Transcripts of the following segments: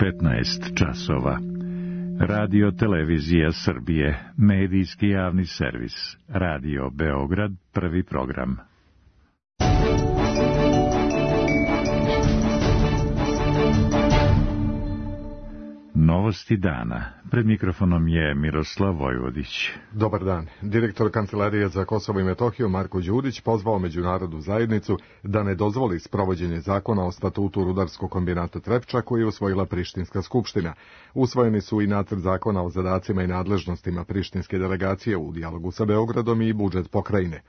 15 časova. Radio Televizija Srbije, medijski javni servis. Radio Beograd, prvi program. Novosti dana. Pred mikrofonom je Miroslav Vojvodić. Dobar dan. Direktor Kancelarije za Kosovo i Metohiju Marko Đurić pozvao međunarodnu zajednicu da ne dozvoli sprovođenje zakona o statutu rudarskog kombinata Trepča koji je usvojila Prištinska skupština. Usvojeni su i nacrt zakona o zadacima i nadležnostima prištinske delegacije u dijalogu sa Beogradom i budžet pokrajine.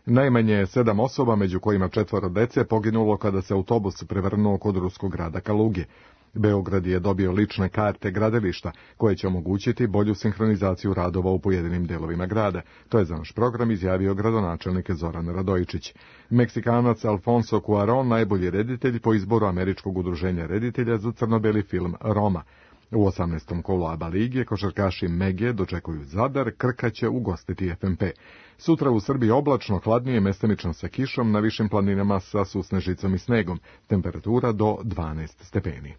Najmanje 7 osoba, među kojima 4 dece, poginulo kada se autobus prevrnuo kod ruskog grada Kaluge. Beograd je dobio lične karte gradilišta, koje će omogućiti bolju sinhronizaciju radova u pojedinim delovima grada. To je za naš program izjavio gradonačelnik Zoran Radojičić. Meksikanac Alfonso Cuarón, najbolji reditelj po izboru Američkog udruženja reditelja za crno-beli film Roma. U 18. kolu ABA lige košarkaši Mege dočekuju Zadar, Krka će ugostiti FNP. Sutra u Srbiji oblačno, hladnije, mestimično sa kišom, na višim planinama sa susnežicom i snegom. Temperatura do 12 stepeni.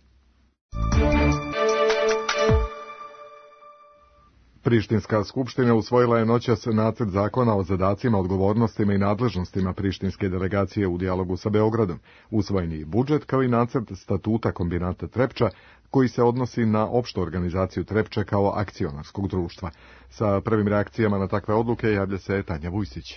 Prištinska skupština usvojila je noćas nacrt zakona o zadacima, odgovornostima i nadležnostima prištinske delegacije u dijalogu sa Beogradom. Usvojen je i budžet kao i nacrt statuta kombinata Trepča, koji se odnosi na opštu organizaciju Trepče kao akcionarskog društva. Sa prvim reakcijama na takve odluke javlja se Tanja Vujsić.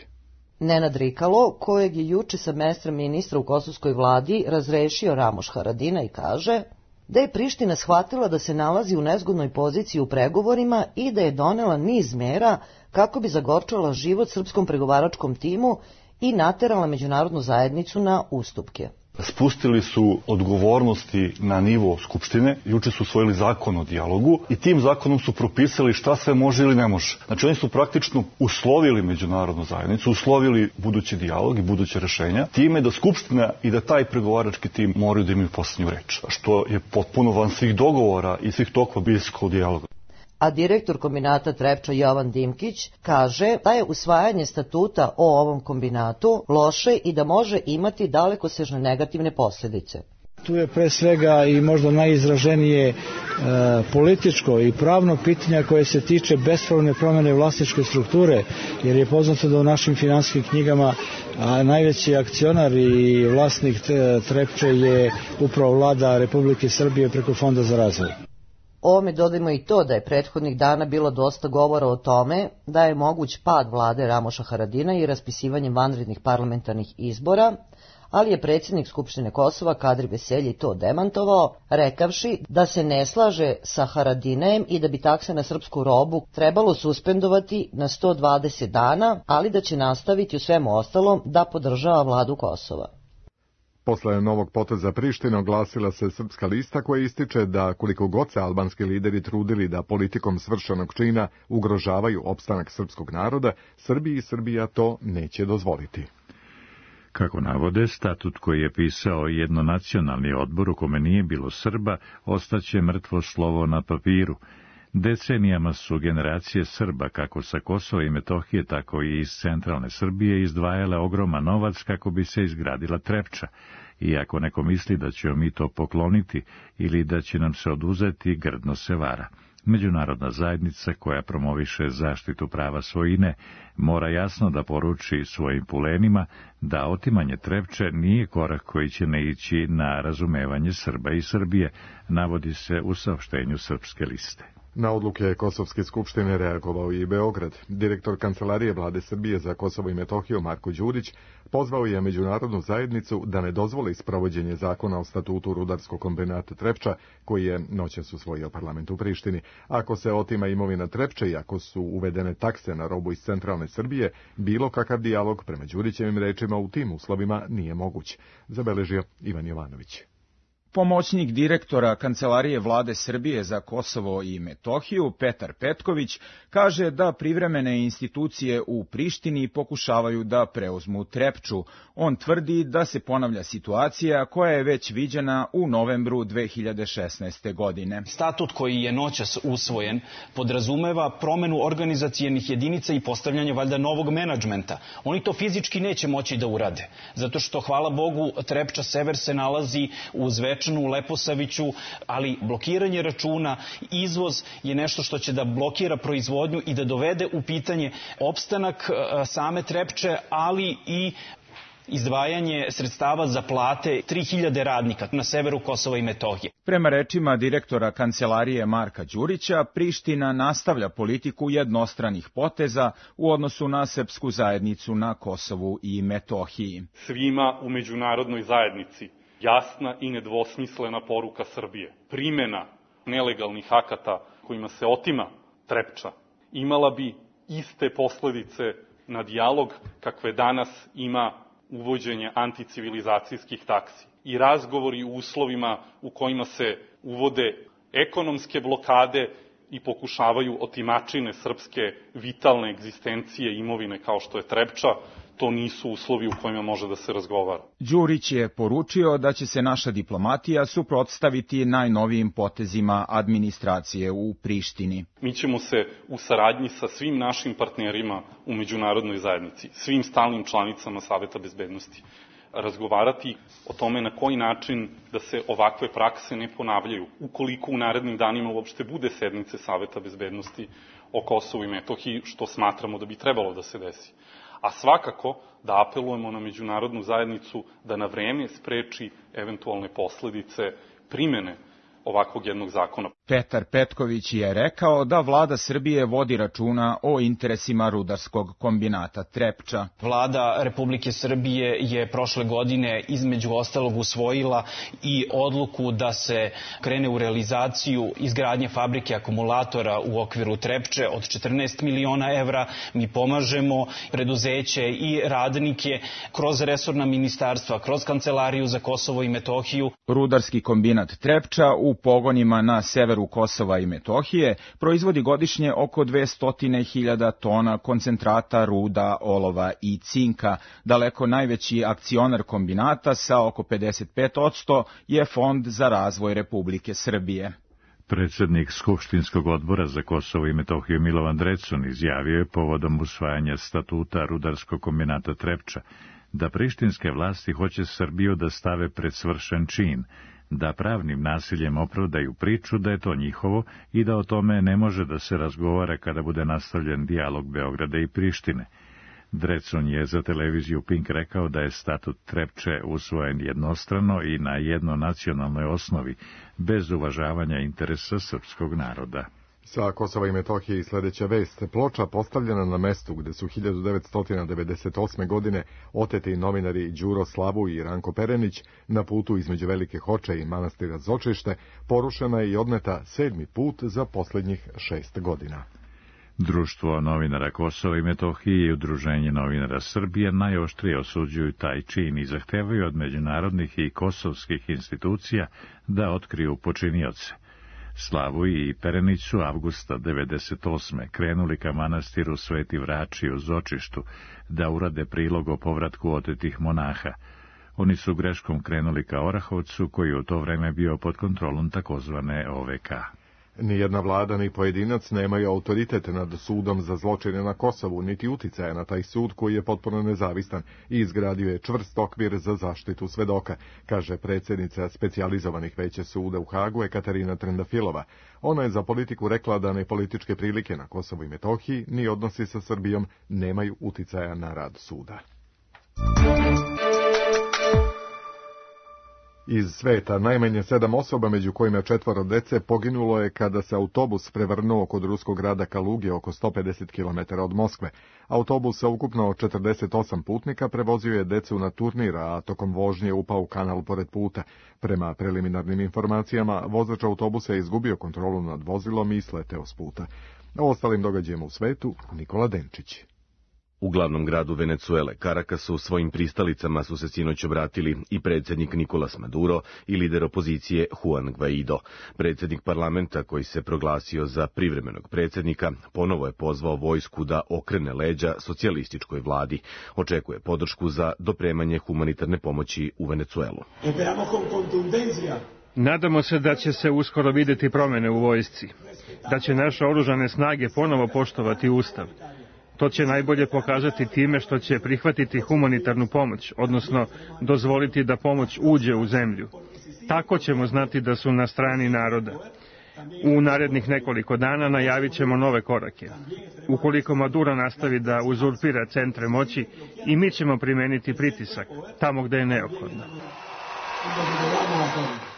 Nenad Rikalo, kojeg je juče sa mesta ministra u kosovskoj vladi razrešio Ramoš Haradinaj, kaže da je Priština shvatila da se nalazi u nezgodnoj poziciji u pregovorima i da je donela niz mera kako bi zagorčala život srpskom pregovaračkom timu i naterala međunarodnu zajednicu na ustupke. Spustili su odgovornosti na nivo Skupštine, juče su usvojili zakon o dijalogu i tim zakonom su propisali šta sve može ili ne može. Znači oni su praktično uslovili međunarodnu zajednicu, uslovili budući dijalog i buduće rešenja, time da Skupština i da taj pregovarački tim moraju da imaju posljednju reč, što je potpuno van svih dogovora i svih tokova bliskog dijaloga. A direktor kombinata Trepča Jovan Dimkić kaže da je usvajanje statuta o ovom kombinatu loše i da može imati dalekosežne negativne posljedice. Tu je pre svega i možda najizraženije političko i pravno pitanje koje se tiče bespravne promjene vlasničke strukture, jer je poznato da u našim finansijskim knjigama najveći akcionar i vlasnik Trepče je upravo vlada Republike Srbije preko Fonda za razvoj. Ovome dodajmo i to da je prethodnih dana bilo dosta govora o tome da je moguć pad vlade Ramoša Haradina i raspisivanjem vanrednih parlamentarnih izbora, ali je predsjednik Skupštine Kosova Kadri Veselji to demantovao, rekavši da se ne slaže sa Haradinajem i da bi takse na srpsku robu trebalo suspendovati na 120 dana, ali da će nastaviti u svemu ostalom da podržava vladu Kosova. Posle novog poteza Prištine oglasila se Srpska lista koja ističe da koliko god se albanski lideri trudili da politikom svršenog čina ugrožavaju opstanak srpskog naroda, Srbiji i Srbija to neće dozvoliti. Kako navode, statut koji je pisao jednonacionalni odbor u kome nije bilo Srba, ostaće mrtvo slovo na papiru. Decenijama su generacije Srba, kako sa Kosova i Metohije, tako i iz centralne Srbije, izdvajale ogroman novac kako bi se izgradila Trepča. I ako neko misli da ćemo mi to pokloniti ili da će nam se oduzeti, grdno se vara. Međunarodna zajednica koja promoviše zaštitu prava svojine mora jasno da poruči svojim pulenima da otimanje Trepče nije korak koji će naići na razumevanje Srba i Srbije, navodi se u saopštenju Srpske liste. Na odluke Kosovske skupštine reagovao i Beograd. Direktor Kancelarije vlade Srbije za Kosovo i Metohiju Marko Đurić pozvao je međunarodnu zajednicu da ne dozvoli sprovođenje zakona o statutu rudarskog kombinata Trepča, koji je noćas usvojio parlament u Prištini. Ako se otima imovina Trepče i ako su uvedene takse na robu iz centralne Srbije, bilo kakav dijalog, prema Đurićevim rečima, u tim uslovima nije moguć, zabeležio Ivan Jovanović. Pomoćnik direktora Kancelarije vlade Srbije za Kosovo i Metohiju, Petar Petković, kaže da privremene institucije u Prištini pokušavaju da preuzmu Trepču. On tvrdi da se ponavlja situacija koja je već viđena u novembru 2016. godine. Statut koji je noćas usvojen podrazumeva promenu organizacijenih jedinica i postavljanje valjda novog menadžmenta. Oni to fizički neće moći da urade, zato što, hvala Bogu, Trepča Sever se nalazi uz vetar Zvečanu, Leposaviću, ali blokiranje računa, izvoz je nešto što će da blokira proizvodnju i da dovede u pitanje opstanak same Trepče, ali i izdvajanje sredstava za plate 3000 radnika na severu Kosova i Metohije. Prema rečima direktora Kancelarije Marka Đurića, Priština nastavlja politiku jednostranih poteza u odnosu na srpsku zajednicu na Kosovu i Metohiji. Svima u međunarodnoj zajednici jasna i nedvosmislena poruka Srbije. Primena nelegalnih akata kojima se otima Trepča imala bi iste posledice na dijalog kakve danas ima uvođenje anticivilizacijskih taksi i razgovori u uslovima u kojima se uvode ekonomske blokade i pokušavaju otimačine srpske vitalne egzistencije imovine kao što je Trepča, to nisu uslovi u kojima može da se razgovara. Đurić je poručio da će se naša diplomatija suprotstaviti najnovijim potezima administracije u Prištini. Mi ćemo se u saradnji sa svim našim partnerima u međunarodnoj zajednici, svim stalnim članicama Saveta bezbednosti, razgovarati o tome na koji način da se ovakve prakse ne ponavljaju, ukoliko u narednim danima uopšte bude sednice Saveta bezbednosti o Kosovu i Metohiji, što smatramo da bi trebalo da se desi. A svakako da apelujemo na međunarodnu zajednicu da na vreme spreči eventualne posledice primene ovakvog jednog zakona. Petar Petković je rekao da vlada Srbije vodi računa o interesima rudarskog kombinata Trepča. Vlada Republike Srbije je prošle godine između ostalog usvojila i odluku da se krene u realizaciju izgradnje fabrike akumulatora u okviru Trepče od 14 miliona evra. Mi pomažemo preduzeće i radnike kroz resorna ministarstva, kroz Kancelariju za Kosovo i Metohiju. Rudarski kombinat Trepča u pogonima na severu Kosova i Metohije proizvodi godišnje oko 200.000 tona koncentrata ruda, olova i cinka. Daleko najveći akcionar kombinata sa oko 55% je Fond za razvoj Republike Srbije. Predsjednik Skupštinskog odbora za Kosovo i Metohiju Milovan Drecun izjavio je povodom usvajanja statuta rudarskog kombinata Trepča da prištinske vlasti hoće Srbiju da stave pred svršen čin, da pravnim nasiljem opravdaju priču da je to njihovo i da o tome ne može da se razgovara kada bude nastavljen dijalog Beograda i Prištine. Drecun je za televiziju Pink rekao da je statut Trepče usvojen jednostrano i na jednonacionalnoj osnovi, bez uvažavanja interesa srpskog naroda. Sa Kosova i Metohije i sljedeća vest. Ploča postavljena na mestu gde su 1998. godine oteti novinari Đuro Slavu i Ranko Perenić na putu između Velike Hoče i manastira Zočište, porušena je i odneta 7. put za posljednjih 6 godina. Društvo novinara Kosova i Metohije i Udruženje novinara Srbije najoštrije osuđuju taj čin i zahtevaju od međunarodnih i kosovskih institucija da otkriju počinioce. Slavu i Perenić su avgusta 1998. krenuli ka manastiru Sveti Vrači u Zočištu da urade prilog o povratku otetih monaha. Oni su greškom krenuli ka Orahovcu, koji u to vreme bio pod kontrolom takozvane OVK. Nijedna vlada ni pojedinac nemaju autoritet nad sudom za zločine na Kosovu, niti uticaja na taj sud koji je potpuno nezavistan i izgradio je čvrst okvir za zaštitu svedoka, kaže predsjednica specijalizovanih veća suda u Hagu Ekaterina Trendafilova. Ona je za politiku rekla da ni političke prilike na Kosovu i Metohiji ni odnosi sa Srbijom nemaju uticaja na rad suda. Iz sveta najmanje 7 osoba, među kojima 4 dece, poginulo je kada se autobus prevrnuo kod ruskog grada Kaluge oko 150 km od Moskve. Autobus sa ukupno 48 putnika prevozio je decu na turnir, a tokom vožnje upao u kanal pored puta. Prema preliminarnim informacijama, vozač autobusa je izgubio kontrolu nad vozilom i sleteo s puta. O ostalim događajima u svetu, Nikola Denčić. U glavnom gradu Venecuele, Carakasu, svojim pristalicama su se sinoć obratili i predsjednik Nicolas Maduro i lider opozicije Juan Guaido. Predsjednik parlamenta, koji se proglasio za privremenog predsjednika, ponovo je pozvao vojsku da okrene leđa socijalističkoj vladi. Očekuje podršku za dopremanje humanitarne pomoći u Venecuelu. Nadamo se da će se uskoro vidjeti promjene u vojsci, da će naše oružane snage ponovo poštovati Ustav. To će najbolje pokazati time što će prihvatiti humanitarnu pomoć, odnosno dozvoliti da pomoć uđe u zemlju. Tako ćemo znati da su na strani naroda. U narednih nekoliko dana najavit ćemo nove korake. Ukoliko Maduro nastavi da uzurpira centre moći, i mi ćemo primeniti pritisak tamo gde je neophodno.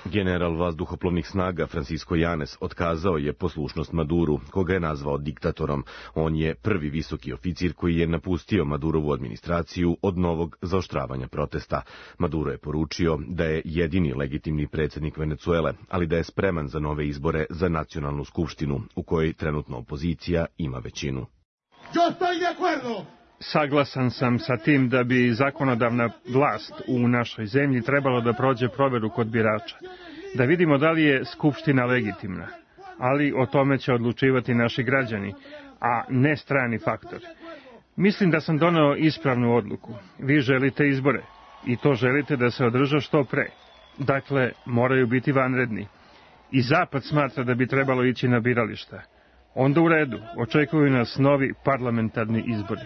General vazduhoplovnih snaga Francisco Yanes otkazao je poslušnost Maduru, koga je nazvao diktatorom. On je prvi visoki oficir koji je napustio Madurovu administraciju od novog zaoštravanja protesta. Maduro je poručio da je jedini legitimni predsjednik Venecuele, ali da je spreman za nove izbore za nacionalnu skupštinu, u kojoj trenutno opozicija ima većinu. Saglasan sam sa tim da bi zakonodavna vlast u našoj zemlji trebalo da prođe proveru kod birača, da vidimo da li je skupština legitimna, ali o tome će odlučivati naši građani, a ne strani faktori. Mislim da sam doneo ispravnu odluku. Vi želite izbore i to želite da se održe što pre. Dakle, moraju biti vanredni. I Zapad smatra da bi trebalo ići na birališta. Onda u redu, očekuju nas novi parlamentarni izbori.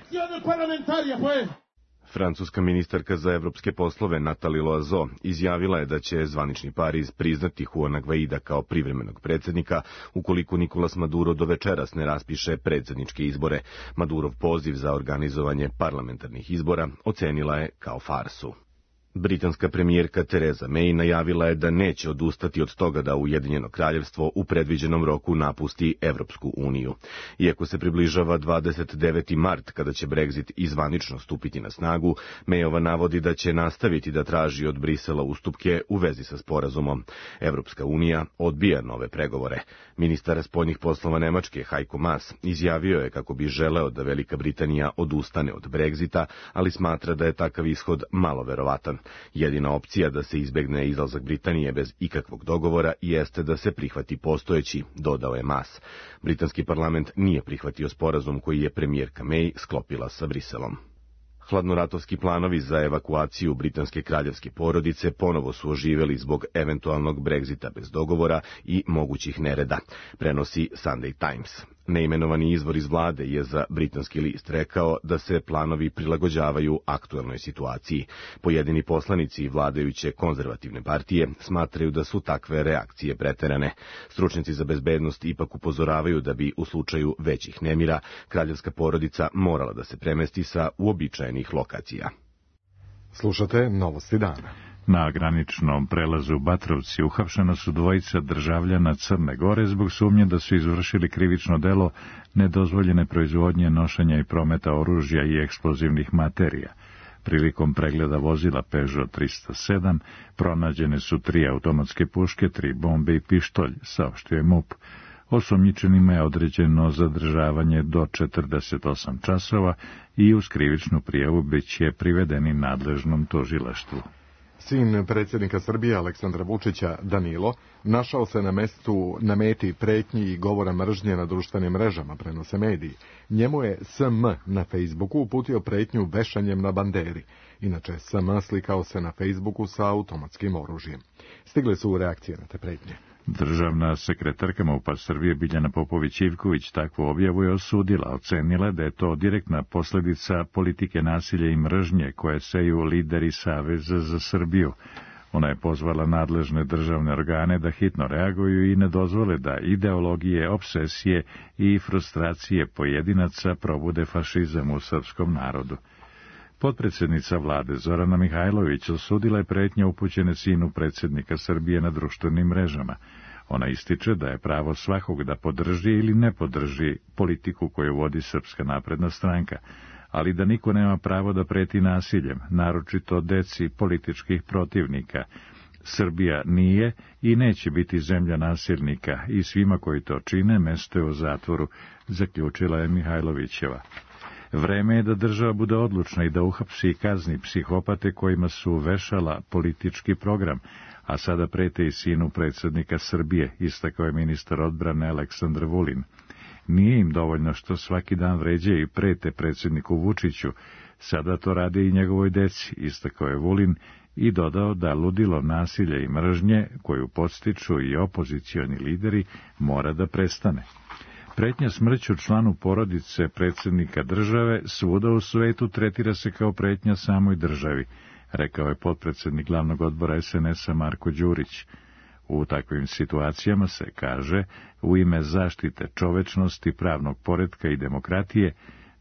Francuska ministarka za evropske poslove Nathalie Loiseau izjavila je da će zvanični Pariz priznati Juana Guaida kao privremenog predsjednika ukoliko Nicolas Maduro do večeras ne raspiše predsjedničke izbore. Madurov poziv za organizovanje parlamentarnih izbora ocenila je kao farsu. Britanska premijerka Theresa May najavila je da neće odustati od toga da Ujedinjeno kraljevstvo u predviđenom roku napusti Evropsku uniju. Iako se približava 29. mart kada će Brexit izvanično stupiti na snagu, Mayova navodi da će nastaviti da traži od Brisela ustupke u vezi sa sporazumom. Evropska unija odbija nove pregovore. Ministar spoljnih poslova Nemačke Heiko Maas izjavio je kako bi želeo da Velika Britanija odustane od Brexita, ali smatra da je takav ishod malo verovatan. Jedina opcija da se izbegne izlazak Britanije bez ikakvog dogovora jeste da se prihvati postojeći, dodao je Maas. Britanski parlament nije prihvatio sporazum koji je premijerka May sklopila sa Briselom. Hladnoratovski planovi za evakuaciju britanske kraljevske porodice ponovo su oživeli zbog eventualnog Brexita bez dogovora i mogućih nereda, prenosi Sunday Times. Neimenovani izvor iz vlade je za britanski list rekao da se planovi prilagođavaju aktuelnoj situaciji. Pojedini poslanici vladajuće konzervativne partije smatraju da su takve reakcije preterane. Stručnjaci za bezbednost ipak upozoravaju da bi u slučaju većih nemira kraljevska porodica morala da se premesti sa uobičajenih lokacija. Slušate Novosti dana. Na graničnom prelazu Batrovci uhapšena su dvojica državljana Crne Gore zbog sumnje da su izvršili krivično delo nedozvoljene proizvodnje, nošenja i prometa oružja i eksplozivnih materija. Prilikom pregleda vozila Peugeot 307 pronađene su 3 automatske puške, 3 bombe i pištolj, saopštio je MUP. Osumnjičenima je određeno zadržavanje do 48 časova i uz krivičnu prijavu biće privedeni nadležnom tužilaštvu. Sin predsjednika Srbije Aleksandra Vučića, Danilo, našao se na meti pretnji i govora mržnje na društvenim mrežama, prenose mediji. Njemu je SM na Facebooku uputio pretnju vešanjem na banderi. Inače, SM slikao se na Facebooku sa automatskim oružjem. Stigle su reakcije na te pretnje. Državna sekretarka MUP-a Srbije Biljana Popović-Ivković takvu objavu je osudila, ocenila da je to direktna posljedica politike nasilja i mržnje koje seju lideri Saveza za Srbiju. Ona je pozvala nadležne državne organe da hitno reaguju i ne dozvole da ideologije, obsesije i frustracije pojedinaca probude fašizam u srpskom narodu. Potpredsjednica vlade Zorana Mihajlović osudila je pretnje upućene sinu predsjednika Srbije na društvenim mrežama. Ona ističe da je pravo svakog da podrži ili ne podrži politiku koju vodi Srpska napredna stranka, ali da niko nema pravo da preti nasiljem, naročito deci političkih protivnika. Srbija nije i neće biti zemlja nasilnika i svima koji to čine mesto je u zatvoru, zaključila je Mihajlovićeva. Vreme je da država bude odlučna i da uhapsi i kazni psihopate kojima su vešala politički program, a sada prete i sinu predsjednika Srbije, istakao je ministar odbrane Aleksandar Vulin. Nije im dovoljno što svaki dan vređaju i prete predsjedniku Vučiću, sada to rade i njegovoj deci, istakao je Vulin i dodao da ludilo nasilja i mržnje, koju podstiču i opozicioni lideri, mora da prestane. Pretnja smrću članu porodice predsjednika države svuda u svetu tretira se kao pretnja samoj državi. rekao je potpredsjednik glavnog odbora SNS-a Marko Đurić. U takvim situacijama se, kaže, u ime zaštite čovečnosti, pravnog poretka i demokratije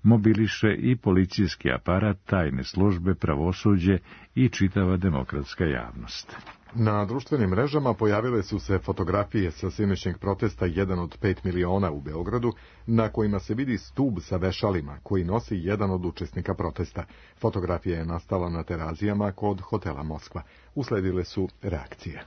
mobiliše i policijski aparat, tajne službe, pravosuđe i čitava demokratska javnost. Na društvenim mrežama pojavile su se fotografije sa sinoćnjeg protesta 1 od 5 miliona u Beogradu, na kojima se vidi stub sa vešalima koji nosi jedan od učesnika protesta. Fotografija je nastala na Terazijama kod hotela Moskva. Usledile su reakcije.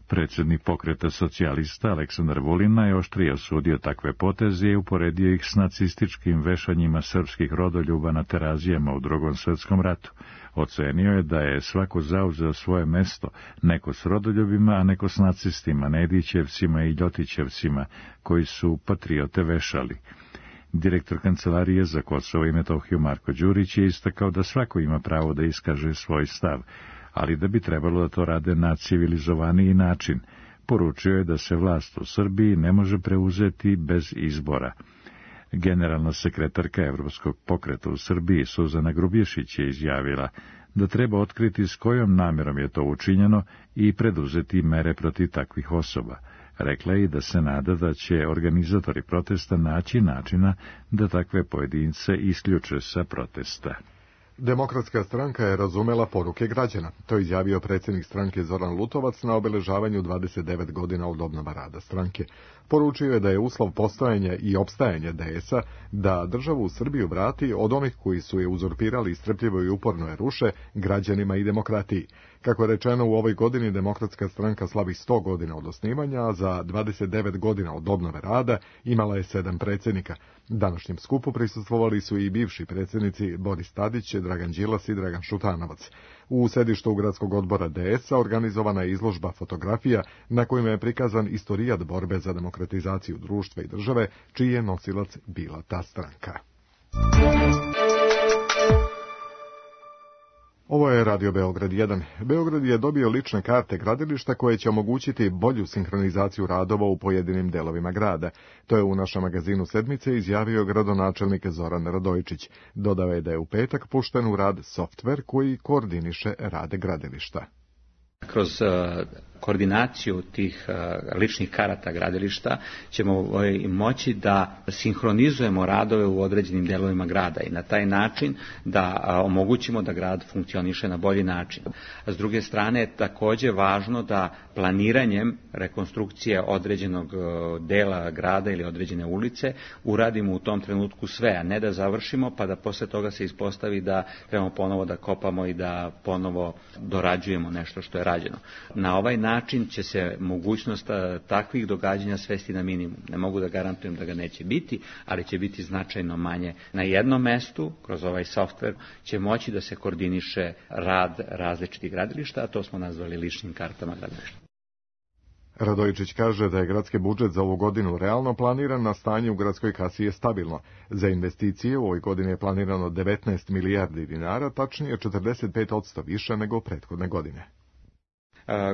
Predsjednik pokreta socijalista Aleksandar Vulin najoštrije osudio takve poteze i uporedio ih s nacističkim vešanjima srpskih rodoljuba na Terazijama u Drugom svjetskom ratu. Ocenio je da je svako zauzeo svoje mesto, neko s rodoljubima, a neko s nacistima, Nedićevcima i Ljotićevcima, koji su patriote vešali. Direktor Kancelarije za Kosovo i Metohiju Marko Đurić je istakao da svako ima pravo da iskaže svoj stav, ali da bi trebalo da to rade na civilizovaniji način. Poručio je da se vlast u Srbiji ne može preuzeti bez izbora. Generalna sekretarka Evropskog pokreta u Srbiji Suzana Grubješić je izjavila da treba otkriti s kojom namjerom je to učinjeno i preduzeti mere protiv takvih osoba. Rekla je i da se nada da će organizatori protesta naći načina da takve pojedince isključe sa protesta. Demokratska stranka je razumela poruke građana. To je izjavio predsjednik stranke Zoran Lutovac na obeležavanju 29 godina od obnova rada stranke. Poručio je da je uslov postojanja i opstajanja DS-a da državu u Srbiju vrati od onih koji su je uzurpirali i strpljivo i uporno je ruše građanima i demokratiji. Kako je rečeno, u ovoj godini Demokratska stranka slavi 100 godina od osnivanja, a za 29 godina od obnove rada imala je 7 predsjednika. Današnjem skupu prisustvovali su i bivši predsjednici Boris Tadić, Dragan Đilas i Dragan Šutanovac. U sedištu gradskog odbora DS-a organizovana je izložba fotografija na kojima je prikazan istorijat borbe za demokratizaciju društva i države, čiji je nosilac bila ta stranka. Ovo je Radio Beograd 1. Beograd je dobio lične karte gradilišta koje će omogućiti bolju sinhronizaciju radova u pojedinim delovima grada. To je u našem magazinu Sedmice izjavio gradonačelnik Zoran Radojičić. Dodao je da je u petak pušten u rad softver koji koordiniše rade gradilišta. Kroz koordinaciju tih ličnih karata gradilišta ćemo moći da sinhronizujemo radove u određenim delovima grada i na taj način da omogućimo da grad funkcioniše na bolji način. S druge strane je također važno da planiranjem rekonstrukcije određenog dela grada ili određene ulice uradimo u tom trenutku sve, a ne da završimo pa da posle toga se ispostavi da trebamo ponovo da kopamo i da ponovo dorađujemo nešto što je rađeno. Na ovaj način će se mogućnost takvih događanja svesti na minimum. Ne mogu da garantujem da ga neće biti, ali će biti značajno manje. Na jednom mestu, kroz ovaj softver, će moći da se koordiniše rad različitih gradilišta, a to smo nazvali ličnim kartama gradilišta. Radojičić kaže da je gradski budžet za ovu godinu realno planiran, na stanje u gradskoj kasi je stabilno. Za investicije u ovoj godini je planirano 19 milijardi dinara, tačnije 45% više nego prethodne godine.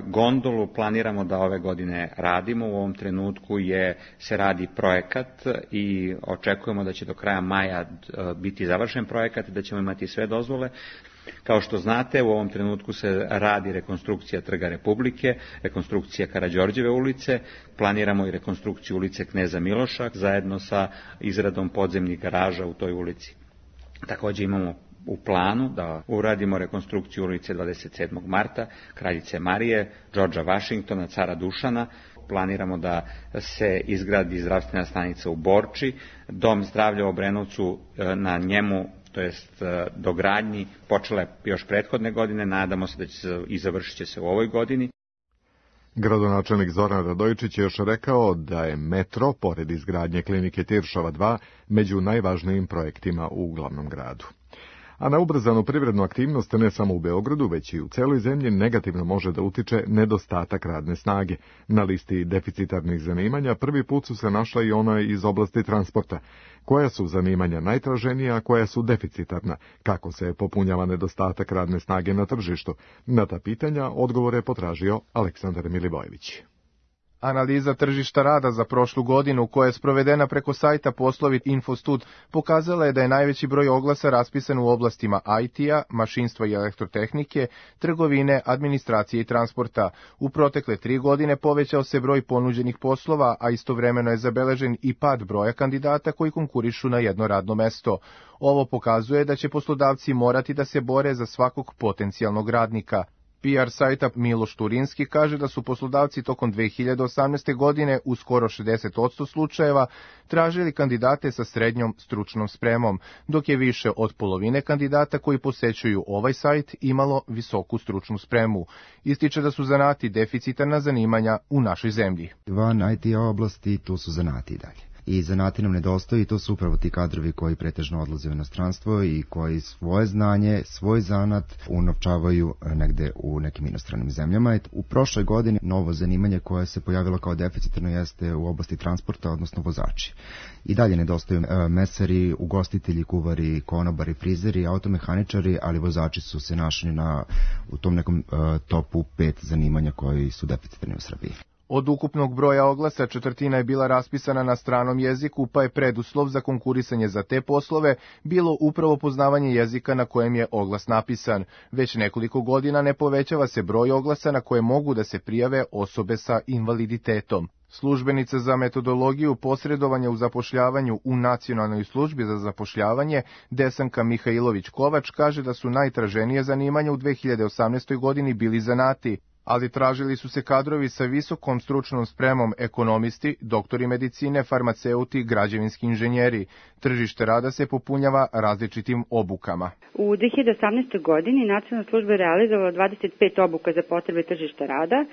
Gondolu planiramo da ove godine radimo, u ovom trenutku se radi projekat i očekujemo da će do kraja maja biti završen projekat i da ćemo imati sve dozvole. Kao što znate, u ovom trenutku se radi rekonstrukcija Trga Republike, rekonstrukcija Karađorđeve ulice, planiramo i rekonstrukciju ulice Kneza Miloša zajedno sa izradom podzemnih garaža u toj ulici. Također imamo u planu da uradimo rekonstrukciju ulice 27. marta, Kraljice Marije, Džordža Vašingtona, Cara Dušana. Planiramo da se izgradi zdravstvena stanica u Borči, dom zdravlja u Obrenovcu, na njemu, to jest dogradnji, počela je još prethodne godine, nadamo se da će se i završit će se u ovoj godini. Gradonačelnik Zoran Radojičić je još rekao da je metro, pored izgradnje klinike Tiršova 2, među najvažnijim projektima u glavnom gradu. A na ubrzanu privrednu aktivnost ne samo u Beogradu, već i u celoj zemlji negativno može da utiče nedostatak radne snage. Na listi deficitarnih zanimanja prvi put su se našla i ona iz oblasti transporta. Koja su zanimanja najtraženija, a koja su deficitarna? Kako se popunjava nedostatak radne snage na tržištu? Na ta pitanja odgovore je potražio Aleksandar Milivojević. Analiza tržišta rada za prošlu godinu, koja je sprovedena preko sajta Poslovi Infostud, pokazala je da je najveći broj oglasa raspisan u oblastima IT-a, mašinstva i elektrotehnike, trgovine, administracije i transporta. U protekle 3 godine povećao se broj ponuđenih poslova, a istovremeno je zabeležen i pad broja kandidata koji konkurišu na jedno radno mesto. Ovo pokazuje da će poslodavci morati da se bore za svakog potencijalnog radnika. PR sajta Miloš Turinski kaže da su poslodavci tokom 2018. godine u skoro 60% slučajeva tražili kandidate sa srednjom stručnom spremom, dok je više od polovine kandidata koji posećuju ovaj sajt imalo visoku stručnu spremu. Ističe da su zanati deficitarna zanimanja u našoj zemlji. Van IT oblasti tu su zanati dalje. I zanati nam nedostaju i to su upravo ti kadrovi koji pretežno odlaze u inostranstvo i koji svoje znanje, svoj zanat unovčavaju negde u nekim inostranim zemljama. U prošloj godini novo zanimanje koje se pojavilo kao deficitarno jeste u oblasti transporta, odnosno vozači. I dalje nedostaju mesari, ugostitelji, kuvari, konobari, frizeri, automehaničari, ali vozači su se našli u tom nekom topu 5 zanimanja koji su deficitarni u Srbiji. Od ukupnog broja oglasa 1/4 je bila raspisana na stranom jeziku, pa je preduslov za konkurisanje za te poslove bilo upravo poznavanje jezika na kojem je oglas napisan. Već nekoliko godina ne povećava se broj oglasa na koje mogu da se prijave osobe sa invaliditetom. Službenica za metodologiju posredovanja u zapošljavanju u Nacionalnoj službi za zapošljavanje Desanka Mihajlović-Kovač kaže da su najtraženije zanimanja u 2018. godini bili zanati, ali tražili su se kadrovi sa visokom stručnom spremom, ekonomisti, doktori medicine, farmaceuti, građevinski inženjeri. Tržište rada se popunjava različitim obukama. U 2018. godini Nacionalna služba je realizovala 25 obuka za potrebe tržišta rada,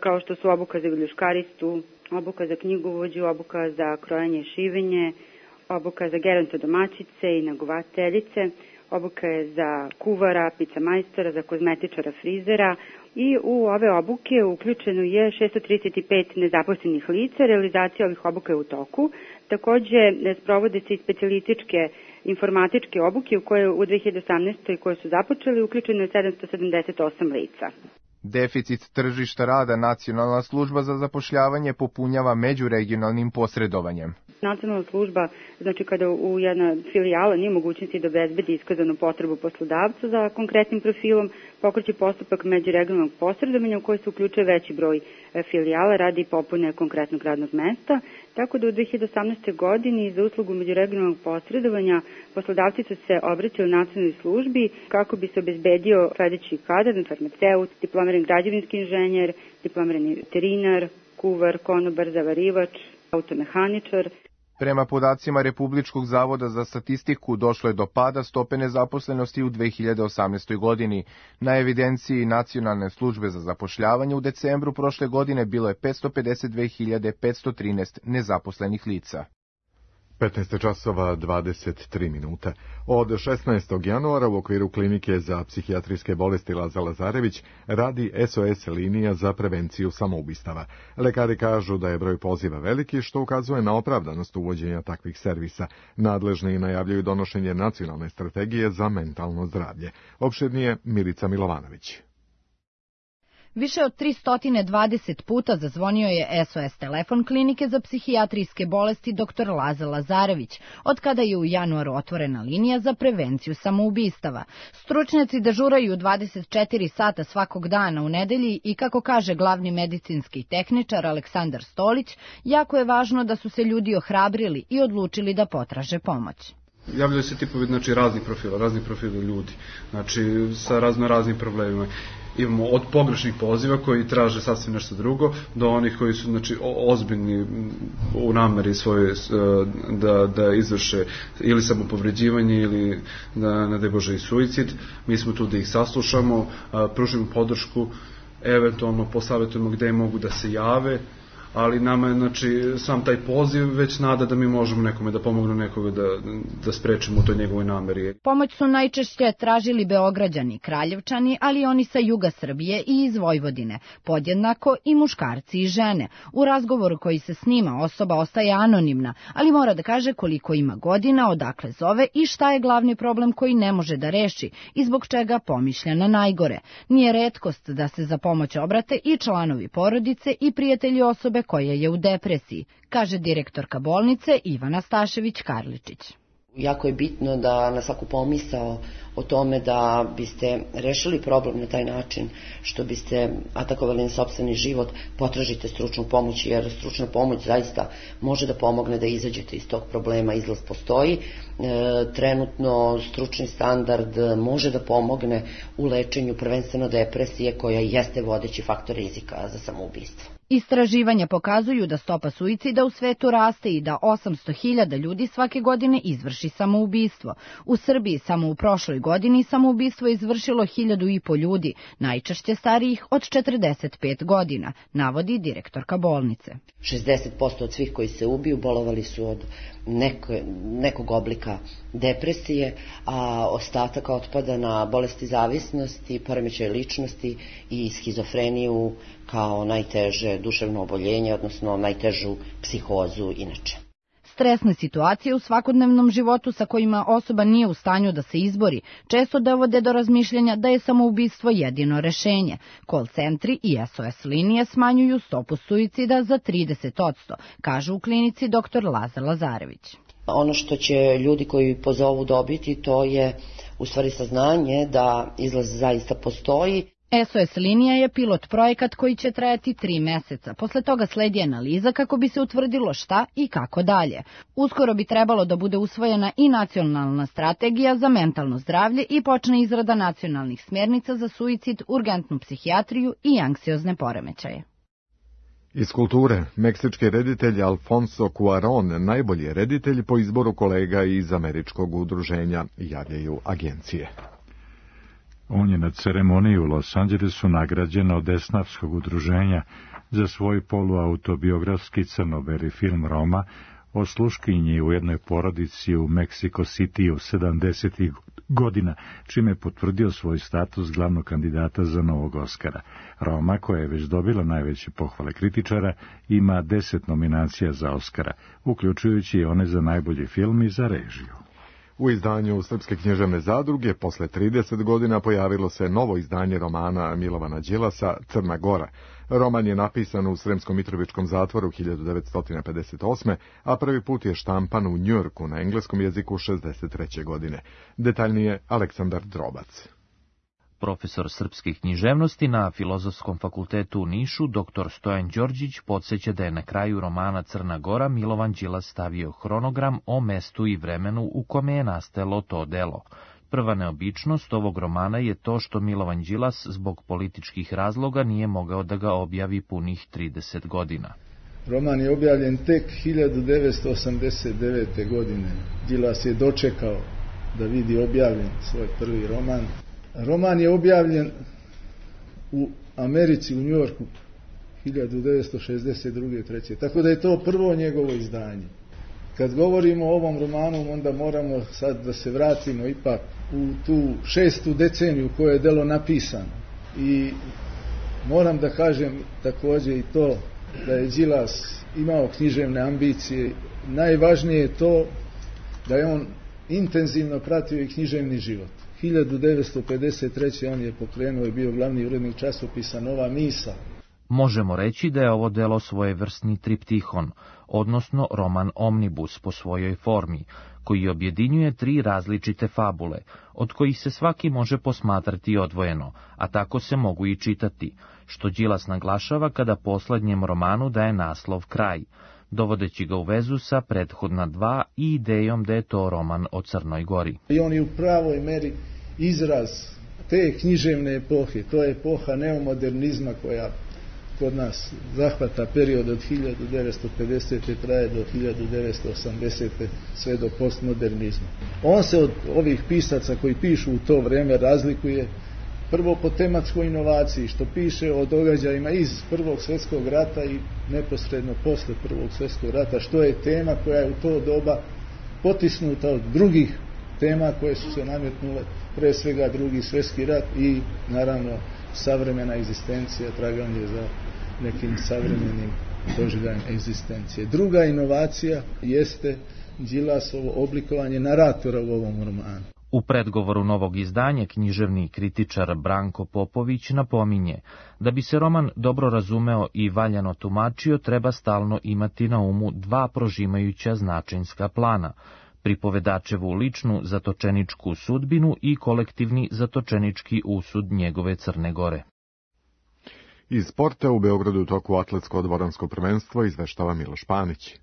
kao što su obuka za viljuškaristu, obuka za knjigovođu, obuka za krojanje i šivenje, obuka za gerontodomaćice i negovateljice, obuka je za kuvara, pica majstora, za kozmetičara, frizera, i u ove obuke uključeno je 635 nezaposlenih lica. Realizacija ovih obuka je u toku. Takođe, sprovode se i specijalističke informatičke obuke u koje u 2018. koje su započeli uključeno je 778 lica. Deficit tržišta rada Nacionalna služba za zapošljavanje popunjava međuregionalnim posredovanjem. Nacionalna služba, znači kada u jedna filijala nije mogućnosti da obezbedi iskazanu potrebu poslodavca za konkretnim profilom, pokreće postupak međuregionalnog posredovanja u koji se uključuje veći broj filijala radi popune konkretnog radnog mesta, tako da u 2018. godini za uslugu međuregionalnog posredovanja poslodavci su se obraćali nacionalnoj službi kako bi se obezbedio sledeći kadar, farmaceut, diplomirani građevinski inženjer, diplomirani veterinar, kuvar, konobar, zavarivač, automehaničar. Prema podacima Republičkog zavoda za statistiku došlo je do pada stope nezaposlenosti u 2018. godini. Na evidenciji Nacionalne službe za zapošljavanje u decembru prošle godine bilo je 552.513 nezaposlenih lica. 15:23. Od 16. januara u okviru klinike za psihijatrijske bolesti Laza Lazarević radi SOS linija za prevenciju samoubistava. Lekari kažu da je broj poziva veliki, što ukazuje na opravdanost uvođenja takvih servisa. Nadležni najavljaju donošenje nacionalne strategije za mentalno zdravlje. Opširnije Milica Milovanović. Više od 320 puta zazvonio je SOS telefon klinike za psihijatrijske bolesti dr. Laza Lazarević, od kada je u januaru otvorena linija za prevenciju samoubistava. Stručnjaci dežuraju 24 sata svakog dana u nedelji i, kako kaže glavni medicinski tehničar Aleksandar Stolić, jako je važno da su se ljudi ohrabrili i odlučili da potraže pomoć. Javljaju se tipovi, razni profili ljudi, sa raznim problemima. Imamo od pogrešnih poziva koji traže sasvim nešto drugo, do onih koji su ozbiljni u nameri svoje da izvrše ili samopovređivanje ili ne daj Bože i suicid. Mi smo tu da ih saslušamo, pružimo podršku, eventualno posavjetujemo gde mogu da se jave, ali nama je sam taj poziv već nada da mi možemo nekome da pomognemo, nekoga da sprečimo u toj njegovoj nameri. Pomoć su najčešće tražili Beograđani, Kraljevčani, ali i oni sa juga Srbije i iz Vojvodine, podjednako i muškarci i žene. U razgovoru koji se snima osoba ostaje anonimna, ali mora da kaže koliko ima godina, odakle zove i šta je glavni problem koji ne može da reši i zbog čega pomišlja na najgore. Nije retkost da se za pomoć obrate i članovi porodice i prijatelji osobe osobe koja je u depresiji, kaže direktorka bolnice Ivana Stašević-Karličić. Jako je bitno da na svaku pomisao o tome da biste rešili problem na taj način što biste atakovali na sopstveni život, potražite stručnu pomoć, jer stručna pomoć zaista može da pomogne da izađete iz tog problema, izlaz postoji. Trenutno stručni standard može da pomogne u lečenju prvenstveno depresije koja jeste vodeći faktor rizika za samoubistvo. Istraživanja pokazuju da stopa suicida u svetu raste i da 800.000 ljudi svake godine izvrši samoubistvo. U Srbiji samo u prošloj godini samoubistvo je izvršilo 1.500 ljudi, najčešće starijih od 45 godina, navodi direktorka bolnice. 60% od svih koji se ubiju bolovali su od nekog oblika depresije, a ostatak otpada na bolesti zavisnosti, poremećaj ličnosti i schizofreniju kao najteže duševno oboljenje, odnosno najtežu psihozu inače. Stresne situacije u svakodnevnom životu sa kojima osoba nije u stanju da se izbori često dovode do razmišljanja da je samoubistvo jedino rešenje. Call centri i SOS linije smanjuju stopu suicida za 30%, kaže u klinici dr. Lazar Lazarević. Ono što će ljudi koji pozovu dobiti, to je u stvari saznanje da izlaz zaista postoji. SOS linija je pilot projekat koji će trajati 3 meseca. Posle toga sledi analiza kako bi se utvrdilo šta i kako dalje. Uskoro bi trebalo da bude usvojena i nacionalna strategija za mentalno zdravlje i počne izrada nacionalnih smjernica za suicid, urgentnu psihijatriju i anksiozne poremećaje. Iz kulture, meksički reditelj Alfonso Cuarón najbolji je reditelj po izboru kolega iz američkog udruženja, javljaju agencije. On je na ceremoniji u Los Angelesu nagrađen od esnafskog udruženja za svoj poluautobiografski crno-beli film Roma o sluškinji u jednoj porodici u Mexico City 70. godina, čime je potvrdio svoj status glavnog kandidata za novog Oskara. Roma, koja je već dobila najveće pohvale kritičara, ima 10 nominacija za Oskara, uključujući i one za najbolji film i za režiju. U izdanju Srpske književne zadruge posle 30 godina pojavilo se novo izdanje romana Milovana Đilasa Crna Gora. Roman je napisan u Sremskom Mitrovičkom zatvoru 1958. a prvi put je štampan u Njujorku na engleskom jeziku 63. godine. Detaljnije Aleksandar Drobac. Profesor srpske književnosti na Filozofskom fakultetu u Nišu, dr. Stojan Đorđić, podsjeća da je na kraju romana Crna Gora Milovan Đilas stavio hronogram o mestu i vremenu u kome je nastalo to delo. Prva neobičnost ovog romana je to što Milovan Đilas zbog političkih razloga nije mogao da ga objavi punih 30 godina. Roman je objavljen tek 1989. godine. Đilas je dočekao da vidi objavljen svoj prvi roman. Roman je objavljen u Americi, u Njujorku, 1962. 3. Tako da je to prvo njegovo izdanje. Kad govorimo o ovom romanu, onda moramo sad da se vratimo ipak u tu 6. deceniju u kojoj je delo napisano. I moram da kažem također i to da je Đilas imao književne ambicije. Najvažnije je to da je on intenzivno pratio i književni život. 1953. on je pokrenuo i bio glavni urednik časopisa Nova Misa. Možemo reći da je ovo delo svojevrsni triptihon, odnosno roman omnibus po svojoj formi, koji objedinjuje 3 različite fabule, od kojih se svaki može posmatrati odvojeno, a tako se mogu i čitati, što Đilas naglašava kada poslednjem romanu daje naslov Kraj, dovodeći ga u vezu sa prethodna 2 i idejom da je to roman o Crnoj Gori. I on je u pravoj meri izraz te književne epohe, to je epoha neomodernizma koja kod nas zahvata period od 1950. traje do 1980. sve do postmodernizma. On se od ovih pisaca koji pišu u to vreme razlikuje prvo po tematskoj inovaciji, što piše o događajima iz Prvog svjetskog rata i neposredno posle Prvog svjetskog rata, što je tema koja je u to doba potisnuta od drugih tema koje su se nametnule, pre svega Drugi svjetski rat i naravno savremena egzistencija, traganje za nekim savremenim doživljajem egzistencije. Druga inovacija jeste Đilasovo oblikovanje naratora u ovom romanu. U predgovoru novog izdanja književni kritičar Branko Popović napominje da bi se roman dobro razumeo i valjano tumačio, treba stalno imati na umu dva prožimajuća značajnska plana, pripovedačevu ličnu zatočeničku sudbinu i kolektivni zatočenički usud njegove Crne Gore. Iz sporta u Beogradu u toku atletsko-dvoransko prvenstvo izveštava Miloš Panić.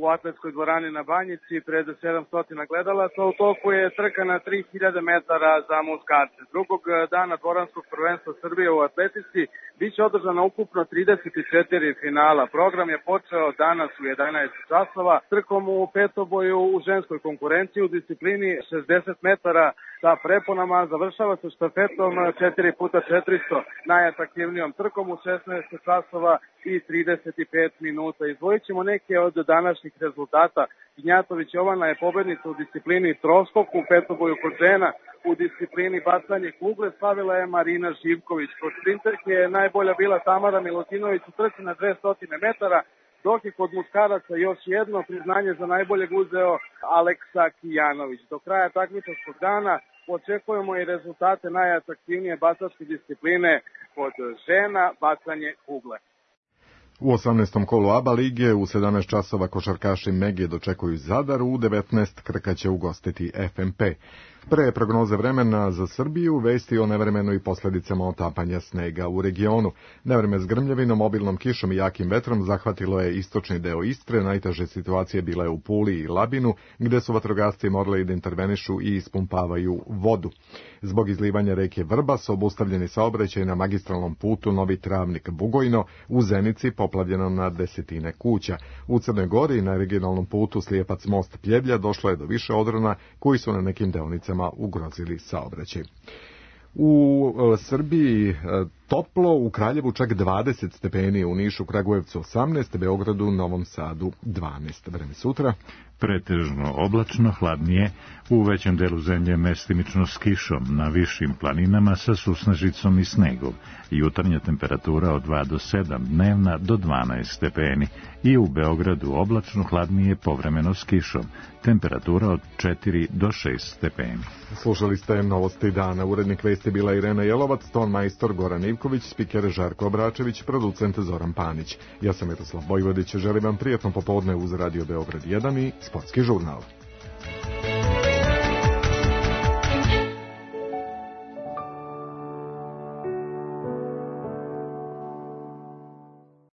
U atletskoj dvorani na Banjici pred 700 gledalaca u toku je trka na 3000 metara za muškarce. Drugog dana dvoranskog prvenstva Srbije u atletici biće održana ukupno 34 finala. Program je počeo danas u 11 časova trkom u petoboju u ženskoj konkurenciji u disciplini 60 metara sa preponama. Završava se štafetom 4x400 najatraktivnijom trkom u 16 časova i 35 minuta. Izdvojit ćemo neke od današnjih rezultata. Gnjatović Jovana je pobednica u disciplini troskok, u petoboju kod žena. U disciplini bacanje kugle slavila je Marina Živković. Kod sprinterke je najbolja bila Tamara Milutinović u trci na 200 metara, dok je kod muškaraca još jedno priznanje za najboljeg uzeo Aleksa Kijanović. Do kraja takmičarskog dana očekujemo i rezultate najatraktivnije bacačke discipline kod žena, bacanje kugle. U 18. kolu ABA lige u 17 časova košarkaši Megije dočekuju Zadar, u 19 Krka će ugostiti FMP. Pre prognoze vremena za Srbiju, vesti o nevremenu i posledicama otapanja snega u regionu. Nevreme s grmljavinom, obilnom kišom i jakim vetrom zahvatilo je istočni deo Istre. Najteže situacije bile u Puli i Labinu, gde su vatrogasci morali da intervenišu i ispumpavaju vodu. Zbog izlivanja reke Vrbas obustavljeni saobraćaj na magistralnom putu Novi Travnik-Bugojno, u Zenici poplavljeno na desetine kuća. U Crnoj Gori na regionalnom putu Slijepac most Pljevlja došlo je do više odrona koji su na nekim deonicama ugrozili saobraćaj. U Srbiji toplo, u Kraljevu čak 20 stepeni, u Nišu, Kragujevcu 18, Beogradu, Novom Sadu 12. Vreme sutra. Pretežno oblačno, hladnije, u većem delu zemlje mestimično s kišom, na višim planinama sa susnežicom i snegom. Jutarnja temperatura od 2 do 7, dnevna do 12 stepeni. I u Beogradu oblačno, hladnije, povremeno s kišom. Temperatura od 4 do 6 stepeni. Slušali ste novosti dana. Urednik vesti bila Irena Jelovac, ton majstor Goran Ivković, spiker Žarko Obračević, producent Zoran Panić. Ja sam Miroslav Vojvodić, želim vam prijatno popodne uz Radio Beograd 1 i Sportski žurnal.